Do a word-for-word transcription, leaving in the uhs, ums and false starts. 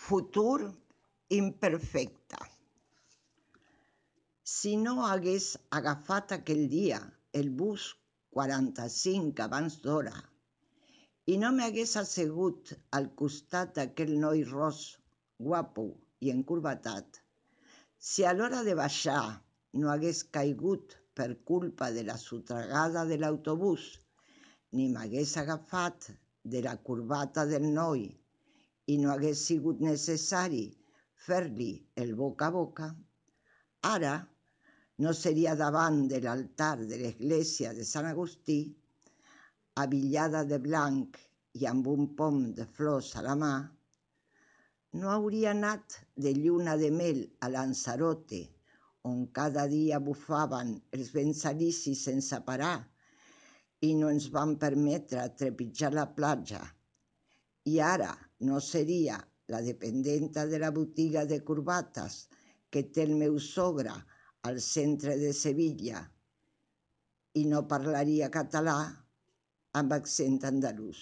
Futur imperfecte. Si no hagués agafat aquell dia el bus quaranta-cinc abans d'hora i no m'hagués assegut al costat d'aquell noi ros, guapo i encorbatat, si a l'hora de baixar no hagués caigut per culpa de la sotragada de l'autobús, ni m'hagués agafat de la corbata del noi i no hagués sigut necessari fer-li el boca a boca, ara no seria davant de l'altar de l'església de Sant Agustí, abillada de blanc i amb un pom de flors a la mà, no hauria anat de lluna de mel a Lanzarote, on cada dia bufaven els vents alicis sense parar i no ens van permetre trepitjar la platja, i ara no seria la dependenta de la botiga de corbates que té el meu sogre al centre de Sevilla i no parlaria català amb accent andalús.